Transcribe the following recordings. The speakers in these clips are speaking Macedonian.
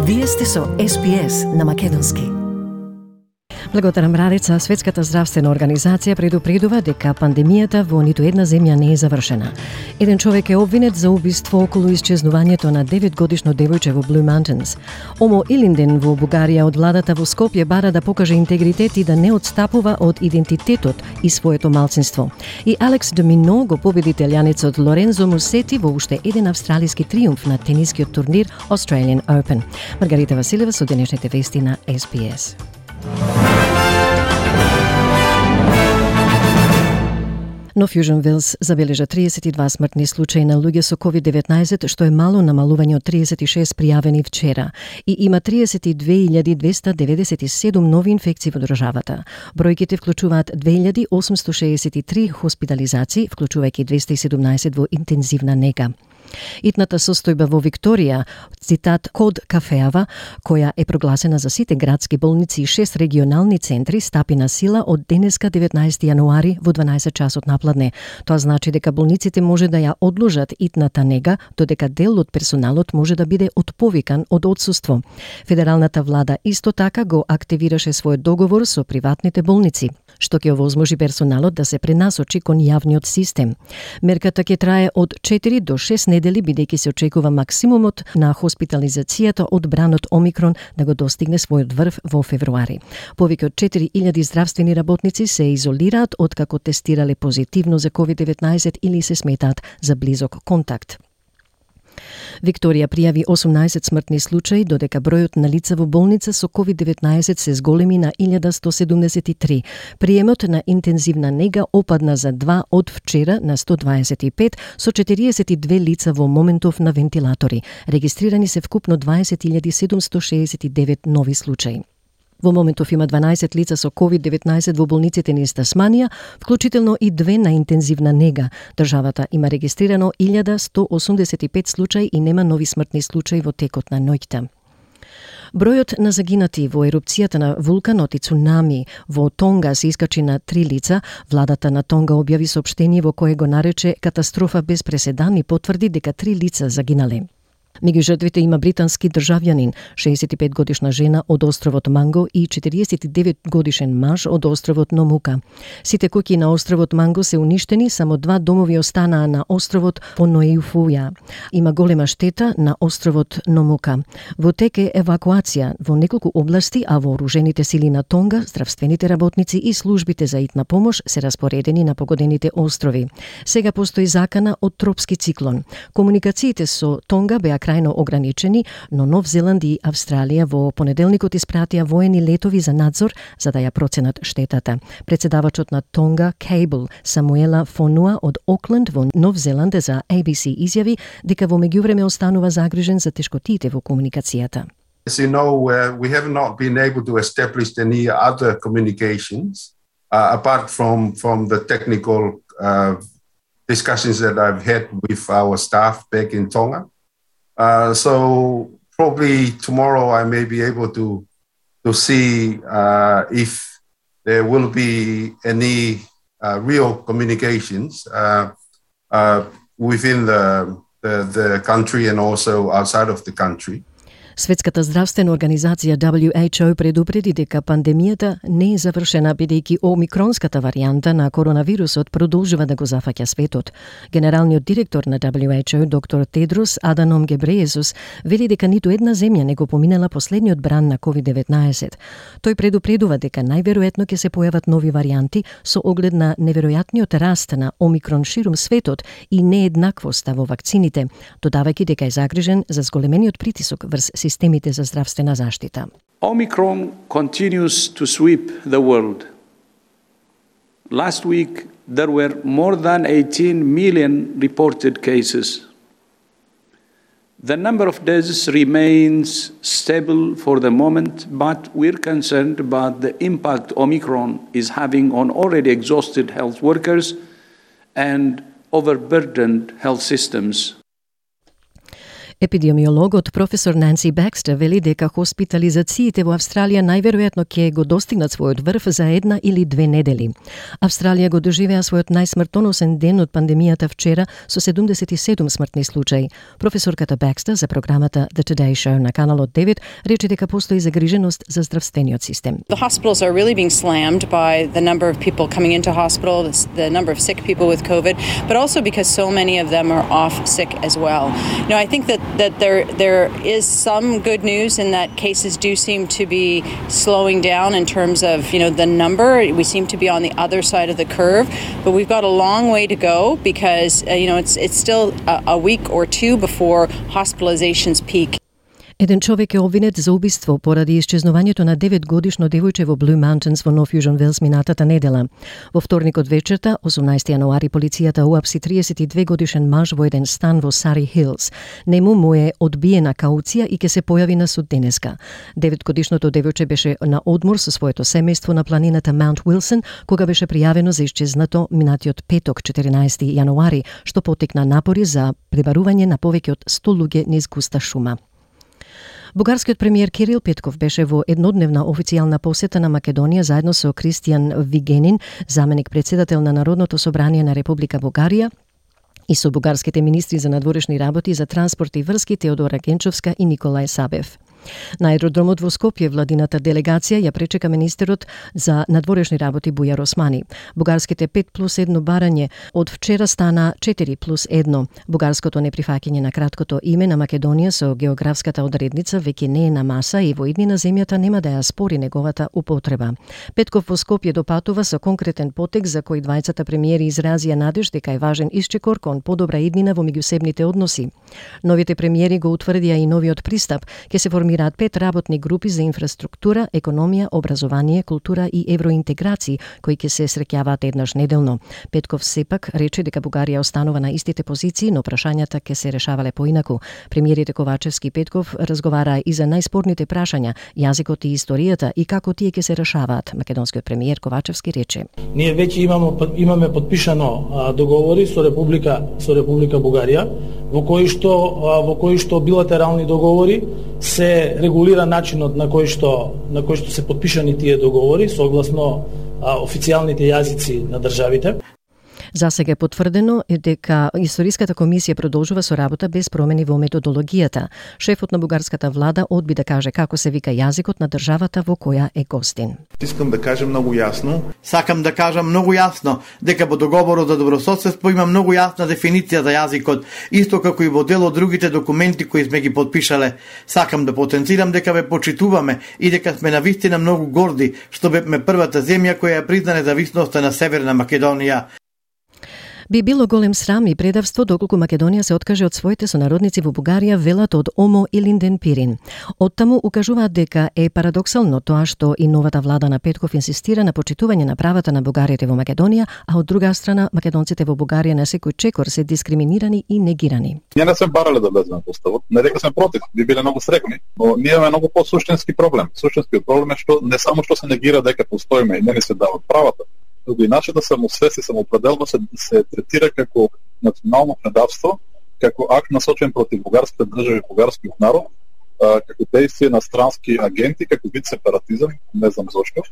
Вие сте со SPS на македонски. Благодарам Радица, Светската здравствена организација предупредува дека пандемијата во ниту една земја не е завршена. Еден човек е обвинет за убиство околу исчезнувањето на 9-годишно девојче во Blue Mountains. Омо Илинден во Бугарија од владата во Скопје бара да покаже интегритет и да не отстапува од идентитетот и своето малцинство. И Алекс Домино го победи италијанецот Лорензо Мусети во уште еден австралиски триумф на тенискиот турнир Australian Open. Маргарита Василева со денешните вести на SPS. Но Fusion Wells забележа 32 смртни случаи на луѓе со COVID-19, што е мало намалување од 36 пријавени вчера, и има 32.297 нови инфекции во државата. Бројките вклучуваат 2.863 хоспитализации, вклучувајќи 217 во интензивна нега. Итната состојба во Викторија, цитат Код Кафеава, која е прогласена за сите градски болници и 6 регионални центри, стапи на сила од денеска 19 јануари во 12 часот напладне. Тоа значи дека болниците може да ја одложат итната нега, додека дел од персоналот може да биде отповикан од отсуство. Федералната влада исто така го активираше својот договор со приватните болници, што ќе овозможи персоналот да се пренасочи кон јавниот систем. Мерката ќе трае од 4 до 6 недели, бидејќи се очекува максимумот на хоспитализацијата од бранот Омикрон да го достигне својот врв во февруари. Повеќе од 4000 здравствени работници се изолираат откако тестирале позитивно за COVID-19 или се сметаат за близок контакт. Викторија пријави 18 смртни случаи, додека бројот на лица во болница со COVID-19 се зголеми на 1173. Приемот на интензивна нега опадна за 2 од вчера на 125, со 42 лица во моментов на вентилатори. Регистрирани се вкупно 20.769 нови случаи. Во моментов има 12 лица со COVID-19 во болниците низ Тасманија, вклучително и 2 на интензивна нега. Државата има регистрирано 1185 случаи и нема нови смртни случаи во текот на ноќта. Бројот на загинати во ерупцијата на вулканот и цунами во Тонга се искачи на 3 лица. Владата на Тонга објави соопштение во кое го нарече катастрофа без преседан и потврди дека 3 лица загинале. Меѓу жртвите има британски државјанин, 65 годишна жена од островот Манго и 49 годишен маж од островот Номука. Сите куќи на островот Манго се уништени, само 2 домови останаа на островот Понојуфуја. Има голема штета на островот Номука. Во тек е евакуација во неколку области, а вооружените сили на Тонга, здравствените работници и службите за итна помош се распоредени на погодените острови. Сега постои закана од тропски циклон. Комуникациите со Тонга беа крајно ограничени, но Нов Зеланд и Австралија во понеделникот испратија воени летови за надзор за да ја проценат штетата. Председавачот на Тонга, Кейбл Самуела Фонуа од Окленд во Нов Зеланд за ABC изјави дека во меѓувреме останува загрижен за тешкотиите во комуникацијата. As you know, we have not been able to establish any other communications apart from the technical discussions that I've had with our staff back in Tonga. So probably tomorrow I may be able to see if there will be any real communications within the country and also outside of the country. Светската здравствена организација WHO предупреди дека пандемијата не е завршена, бидејќи омикронската варијанта на коронавирусот продолжува да го зафаќа светот. Генералниот директор на WHO, доктор Тедрос Аданом Гебрејесус, вели дека ниту една земја не го поминала последниот бран на COVID-19. Тој предупредува дека најверојатно ќе се појават нови варијанти со оглед на неверојатниот раст на омикрон ширум светот и нееднаквоста во вакцините, додавајќи дека е загрижен за зголемениот притисок врз системите за здравствена заштита. Omicron continues to sweep the world. Last week, there were more than 18 million reported cases. The number of deaths remains stable for the moment, but we're concerned about the impact Omicron is having on already exhausted health workers and overburdened health systems. Епидемиологот професор Нанси Бекстер вели дека хоспитализациите во Австралија најверојатно ќе го достигнат својот врв за 1 или 2 недели. Австралија го доживеа својот најсмртоносен ден од пандемијата вчера со 77 смртни случаи. Професорката Бекстер за програмата The Today Show на каналот 9 рече дека постои загриженост за здравствениот систем. The hospitals are really being slammed by the number of people coming into hospital, the number of sick people with COVID, but also because so many of them are off sick as well. I think that there is some good news in that cases do seem to be slowing down in terms of the number. We seem to be on the other side of the curve, but we've got a long way to go because it's still a week or two before hospitalizations peak. Еден човек е обвинет за убиство поради исчезнувањето на 9-годишно девојче во Blue Mountains во Нов Јужен Велс минатата недела. Во вторникот вечерта, 18 јануари, полицијата уапси 32-годишен маж во еден стан во Сари Хилс. Нему му е одбиена кауција и ќе се појави на суд денеска. 9-годишното девојче беше на одмор со своето семејство на планината Маунт Уилсон, кога беше пријавено за исчезнато минатиот петок, 14 јануари, што потекна напори за пребарување на повеќе од 100 луѓе низ густа шума. Бугарскиот премиер Кирил Петков беше во еднодневна официјална посета на Македонија заедно со Кристијан Вигенин, заменик председател на Народното собрание на Република Бугарија, и со бугарските министри за надворешни работи, за транспорт и врски Теодора Генчовска и Николај Сабев. На аеродромот во Скопје владината делегација ја пречека министерот за надворешни работи Бујар Османи. Бугарските 5+1 барање од вчера стана 4+1. Бугарското неприфаќање на краткото име на Македонија со географската одредница веќе не е на маса и во иднина земјата нема да ја спори неговата употреба. Петков во Скопје допатува со конкретен потек за кој двајцата премиери изразија надеж дека е важен исчекор кон подобра иднина во меѓусебните односи. Новите премиери го утврдија и новиот пристап, ќе се формираат 5 работни групи за инфраструктура, економија, образование, култура и евроинтеграција, кои ќе се среќаваат еднаш неделно. Петков сепак рече дека Бугарија останува на истите позиции, но прашањата ќе се решавале поинаку. Премиерите Ковачевски и Петков разговараа и за најспорните прашања, јазикот и историјата и како тие ќе се решаваат. Македонскиот премиер Ковачевски рече: Ние веќе имаме подпишано договори со Република Бугарија, во кои што билатерални договори се регулира начинот на кој што се подпишани тие договори согласно официјалните јазици на државите. За сега е потврдено дека Историската комисија продолжува со работа без промени во методологијата. Шефот на бугарската влада одби да каже како се вика јазикот на државата во која е гостин. Сакам да кажам многу јасно дека во договорот за добрососедство има многу јасна дефиниција за јазикот, исто како и во дел од другите документи кои сме ги подпишале. Сакам да потенцирам дека ве почитуваме и дека сме навистина многу горди што бевме првата земја која ја призна независноста на Северна Македонија. Би било голем срам и предавство доколку Македонија се откаже од своите сонародници во Бугарија, велат од ОМО и Линден Пирин. Оттаму укажуваат дека е парадоксално тоа што и новата влада на Петков инсистира на почитување на правата на бугарите во Македонија, а од друга страна македонците во Бугарија на секој чекор се дискриминирани и негирани. Ние не сме барале да влеземе во уставот, не дека сме против, би биле многу срекни, но ние имаме многу посуштински проблем. Суштинскиот проблем е што не само што се негира дека постоиме и не ни се дават правата, и начинот да самосвест и самоопределба се третира како национално предавство, како акт насочен против бугарската држава и бугарскиот народ, како действие на странски агенти, како вид сепаратизам, не знам зошто.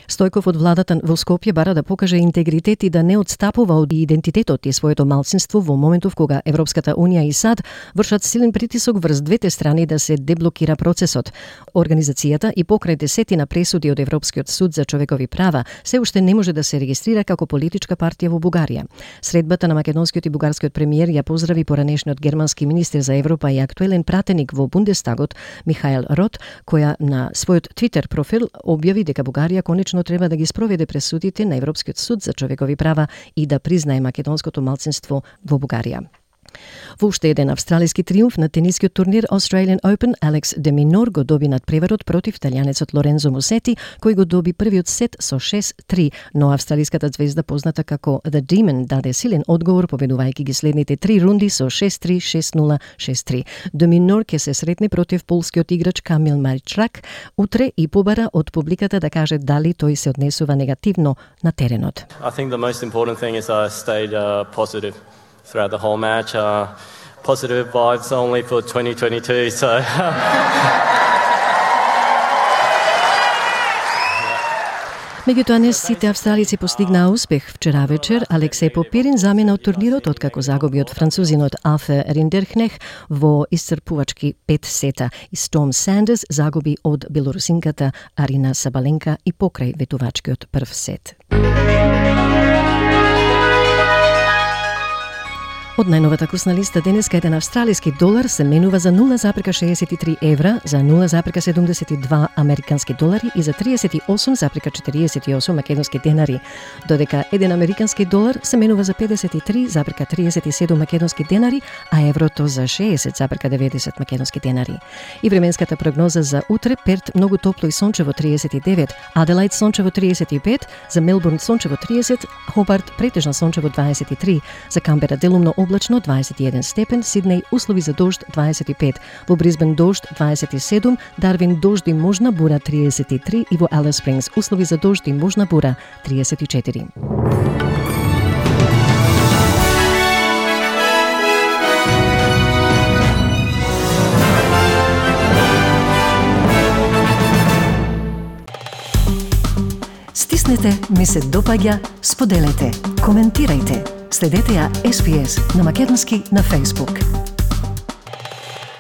Стојков од владата во Скопје бара да покаже интегритет и да не отстапува од идентитетот и своето малцинство во моментов кога Европската Унија и САД вршат силен притисок врз двете страни да се деблокира процесот. Организацијата и покрај десетина пресуди од Европскиот суд за човекови права се уште не може да се регистрира како политичка партија во Бугарија. Средбата на македонскиот и бугарскиот премиер ја поздрави поранешниот германски министер за Европа и актуелен пратеник во Бундестагот Михаел Рот, која на својот Твитер профил објави дека Бугарија конечно треба да ги спроведе пресудите на Европскиот суд за човекови права и да признае македонското малцинство во Бугарија. Во уште еден австралиски триумф на тенискиот турнир Australian Open, Алекс де Минор го доби надпреварот против италијанецот Лорензо Мусети, кој го доби првиот сет со 6-3, но австралиската звезда позната како The Demon даде силен одговор победувајќи ги следните 3 рунди со 6-3, 6-0, 6-3. Де Минор ќе се сретне против полскиот играч Камил Мачрак утре и побара од публиката да каже дали тој се однесува негативно на теренот. I think the most important thing is I stayed positive throughout the whole match. positive vibes only for 2022, so... Меѓутоа не сите австралици постигнаа успех. Вчера вечер Алексеј Попирин замина од турнирот откако загуби од французинот Афе Риндеркнех во исцрпувачки 5 сета. И Storm Sanders загуби од белорусинката Арина Сабаленка и покрај ветувачкиот прв сет. Од најновата курсна листа денеска еден австралиски долар се менува за 0,63 евра, за 0,72 американски долари и за 38,48 македонски денари, додека еден американски долар се менува за 53,37 македонски денари, а еврото за 60,90 македонски денари. И временската прогноза за утре: Перт многу топло и сончево 39, Аделаид сончево 35, за Мелбурн сончево 30, Хобарт претежно сончево 23, за Камбера делумно облачно 21 степен, Сиднеј услови за дожд 25, во Брисбен дожд 27, Дарвин дожд и можна бура 33 и во Алис Спрингс услови за дожд и можна бура 34. Стиснете, ми се допаѓа, споделете, коментирајте. Следете ја SPS на македонски на Facebook.